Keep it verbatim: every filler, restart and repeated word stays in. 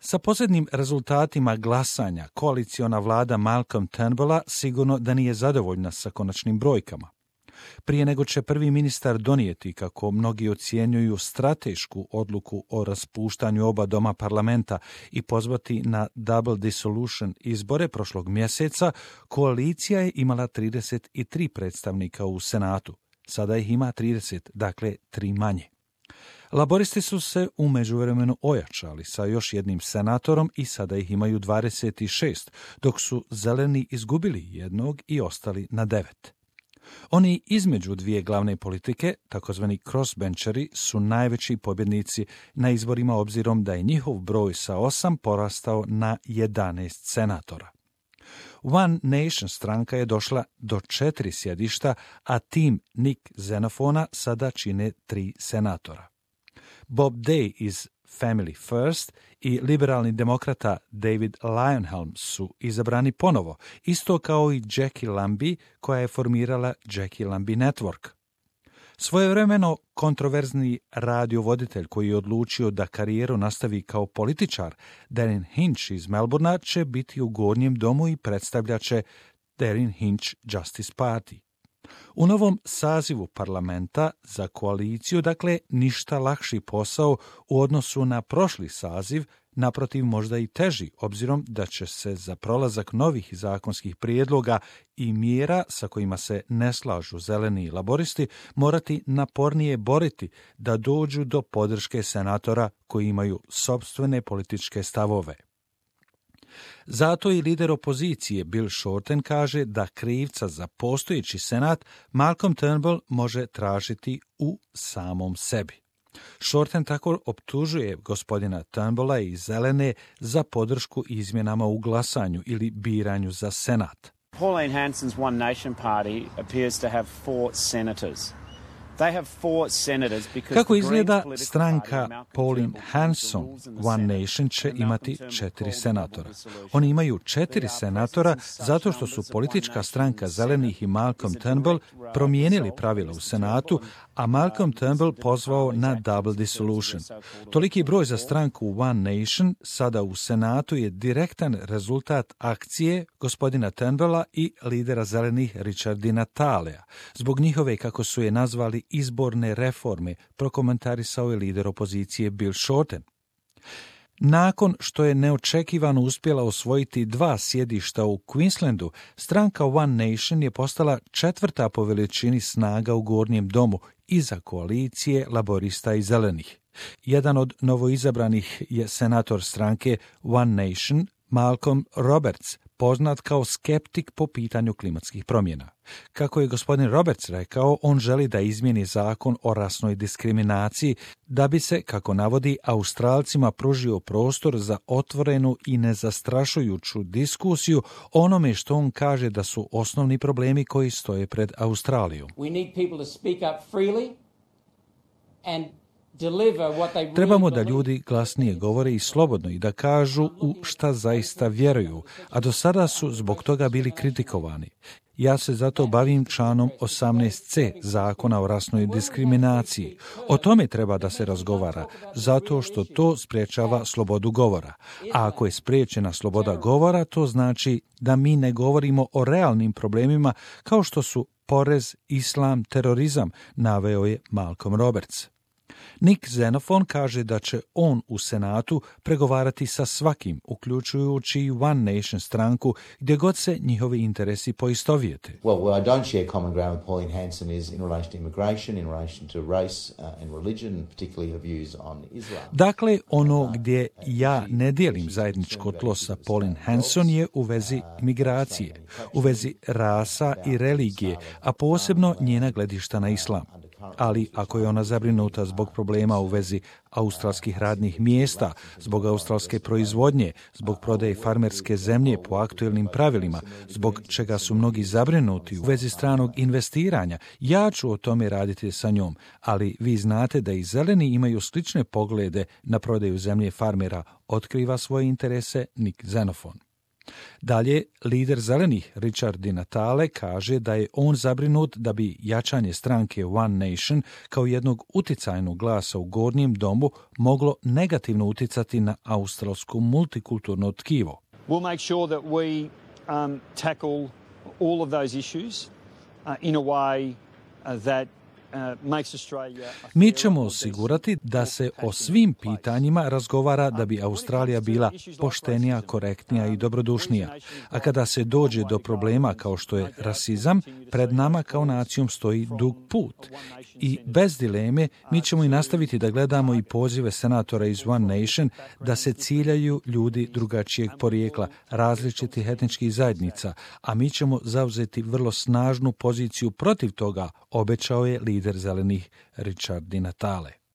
Sa posljednjim rezultatima glasanja koaliciona vlada Malcolm Turnbulla sigurno da nije zadovoljna sa konačnim brojkama. Prije nego će prvi ministar donijeti, kako mnogi ocjenjuju, stratešku odluku o raspuštanju oba doma parlamenta i pozvati na double dissolution izbore prošlog mjeseca, koalicija je imala trideset tri predstavnika u Senatu. Sada ih ima trideset, dakle tri manje. Laboristi su se u međuvremenu ojačali sa još jednim senatorom i sada ih imaju dvadeset šest, dok su zeleni izgubili jednog i ostali na devet. Oni između dvije glavne politike, takozvani crossbencheri, su najveći pobjednici na izborima obzirom da je njihov broj sa osam porastao na jedanaest senatora. One Nation stranka je došla do četiri sjedišta, a tim Nick Xenofona sada čine tri senatora. Bob Day iz Family First i liberalni demokrata David Leyonhjelm su izabrani ponovo, isto kao i Jackie Lambie koja je formirala Jackie Lambie Network. Svojevremeno kontroverzni radiovoditelj koji je odlučio da karijeru nastavi kao političar, Darren Hinch iz Melbournea, će biti u Gornjem domu i predstavljat će Darren Hinch Justice Party. U novom sazivu parlamenta za koaliciju, dakle, ništa lakši posao u odnosu na prošli saziv, naprotiv možda i teži, obzirom da će se za prolazak novih zakonskih prijedloga i mjera sa kojima se ne slažu zeleni i laboristi morati napornije boriti da dođu do podrške senatora koji imaju sopstvene političke stavove. Zato i lider opozicije Bill Shorten kaže da krivca za postojeći senat Malcolm Turnbull može tražiti u samom sebi. Shorten tako optužuje gospodina Turnbulla i zelene za podršku izmjenama u glasanju ili biranju za senat. Pauline Hanson's One Nation Party appears to have four senators. Kako izgleda, stranka Pauline Hanson One Nation će imati četiri senatora. Oni imaju četiri senatora zato što su politička stranka zelenih i Malcolm Turnbull promijenili pravila u Senatu, a Malcolm Turnbull pozvao na double dissolution. Toliki broj za stranku One Nation sada u Senatu je direktan rezultat akcije gospodina Turnbulla i lidera zelenih Richarda Natalea. Zbog njihove, kako su je nazvali, izborne reforme, prokomentarisao je lider opozicije Bill Shorten. Nakon što je neočekivano uspjela osvojiti dva sjedišta u Queenslandu, stranka One Nation je postala četvrta po veličini snaga u Gornjem domu iza koalicije laborista i zelenih. Jedan od novoizabranih je senator stranke One Nation, Malcolm Roberts, poznat kao skeptik po pitanju klimatskih promjena. Kako je gospodin Roberts rekao, on želi da izmijeni zakon o rasnoj diskriminaciji da bi se, kako navodi, Australcima pružio prostor za otvorenu i nezastrašujuću diskusiju o onome što on kaže da su osnovni problemi koji stoje pred Australijom. We need people to speak up freely and Trebamo da ljudi glasnije govore i slobodno i da kažu u šta zaista vjeruju, a do sada su zbog toga bili kritikovani. Ja se zato bavim članom osamnaest ce zakona o rasnoj diskriminaciji. O tome treba da se razgovara, zato što to sprječava slobodu govora. A ako je spriječena sloboda govora, to znači da mi ne govorimo o realnim problemima kao što su porez, islam, terorizam, naveo je Malcolm Roberts. Nick Xenofon kaže da će on u Senatu pregovarati sa svakim, uključujući i One Nation stranku, gdje god se njihovi interesi poistovijete. Well, where I don't share common ground with Pauline Hanson is in relation to immigration, in relation to race uh, and religion, and particularly her views on Islam. Dakle, ono gdje ja ne dijelim zajedničko tlo sa Pauline Hanson je u vezi migracije, u vezi rasa i religije, a posebno njena gledišta na islam. Ali ako je ona zabrinuta zbog problema u vezi australskih radnih mjesta, zbog australske proizvodnje, zbog prodaje farmerske zemlje po aktuelnim pravilima, zbog čega su mnogi zabrinuti u vezi stranog investiranja, ja ću o tome raditi sa njom, ali vi znate da i zeleni imaju slične poglede na prodaju zemlje farmera, otkriva svoje interese Nick Xenofon. Dalje, lider zelenih Richard Di Natale kaže da je on zabrinut da bi jačanje stranke One Nation kao jednog uticajnog glasa u gornjem domu moglo negativno uticati na australsko multikulturno tkivo. We'll make sure that we um, tackle all of those issues uh, in a way uh, that Mi ćemo osigurati da se o svim pitanjima razgovara da bi Australija bila poštenija, korektnija i dobrodušnija. A kada se dođe do problema kao što je rasizam, pred nama kao nacijom stoji dug put. I bez dileme mi ćemo i nastaviti da gledamo i pozive senatora iz One Nation da se ciljaju ljudi drugačijeg porijekla, različitih etničkih zajednica, a mi ćemo zauzeti vrlo snažnu poziciju protiv toga, obećao je lider zelenih Richard Di Natale.